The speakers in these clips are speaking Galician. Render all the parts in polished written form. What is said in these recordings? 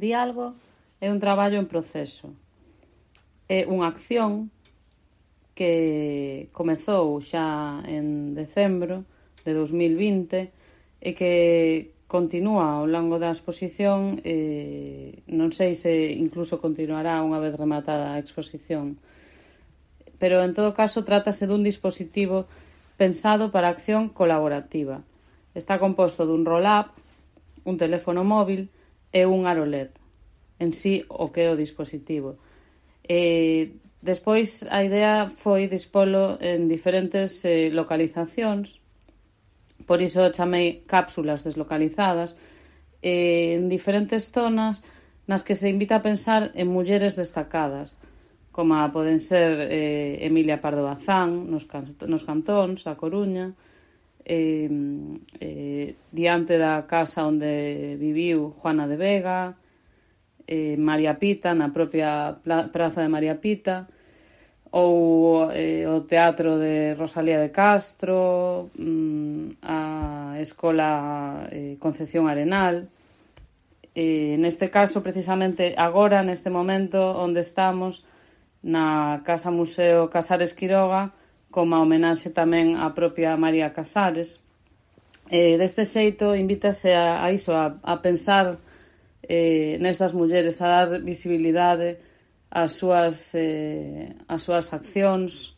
Diálogo é un traballo en proceso. É unha acción que comezou xa en decembro de 2020 e que continúa ao longo da exposición, non sei se incluso continuará unha vez rematada a exposición, pero en todo caso trátase dun dispositivo pensado para acción colaborativa. Está composto dun roll-up, un teléfono móvil e un aro LED, en sí o que é o dispositivo. Despois a idea foi dispolo en diferentes localizacións, por iso chamei cápsulas deslocalizadas, en diferentes zonas nas que se invita a pensar en mulleres destacadas, como poden ser Emilia Pardo Bazán nos cantóns da Coruña, diante da casa onde viviu Juana de Vega, María Pita, na propia praza de María Pita, ou o teatro de Rosalía de Castro, a escola Concepción Arenal. Neste caso, precisamente agora, neste momento onde estamos, na Casa Museo Casares Quiroga, como a homenaxe tamén á propia María Casares. Deste xeito, invítase a iso, a pensar nestas mulleres, a dar visibilidade ás súas accións,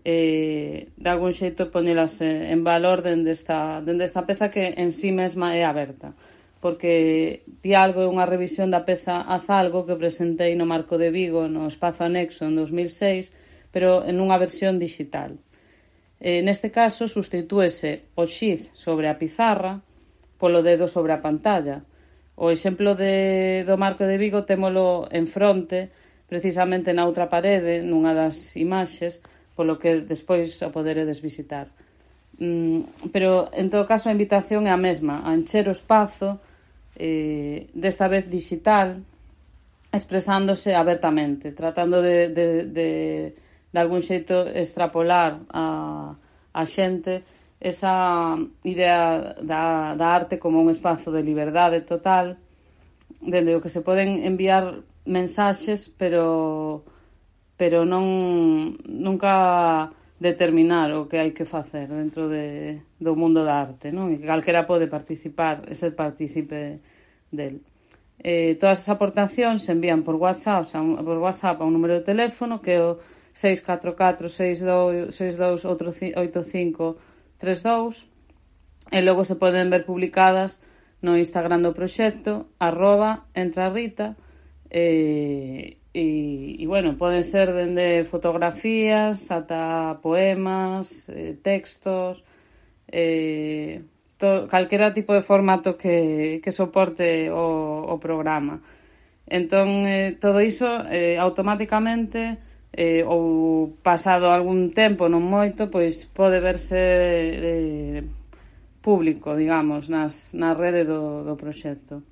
de algún xeito poñelas en valor dende esta peza que en sí mesma é aberta, porque Diálogo é unha revisión da peza Azalgo que presentei no Marco de Vigo no Espazo Anexo en 2006, pero en unha versión digital. Neste caso, sustitúese o xiz sobre a pizarra polo dedo sobre a pantalla. O exemplo do Marco de Vigo témolo en fronte, precisamente na outra parede, nunha das imaxes, polo que despois o poderedes visitar. Pero, en todo caso, a invitación é a mesma, a encher o espazo, desta vez digital, expresándose abertamente, tratando de algún xeito extrapolar a xente esa idea da arte como un espazo de liberdade total, dende o que se poden enviar mensaxes, pero nunca determinar o que hai que facer dentro do mundo da arte, non? E que calquera pode participar e ser partícipe del. Todas as aportacións se envían por WhatsApp a un número de teléfono que é o 644-628532 e logo se poden ver publicadas no Instagram do proxecto @entrarrita e bueno, poden ser dende fotografías ata poemas, textos, calquera tipo de formato que soporte o programa. Entón, todo iso automáticamente ou pasado algún tempo, non moito, pois pode verse público, digamos, na rede do proxecto.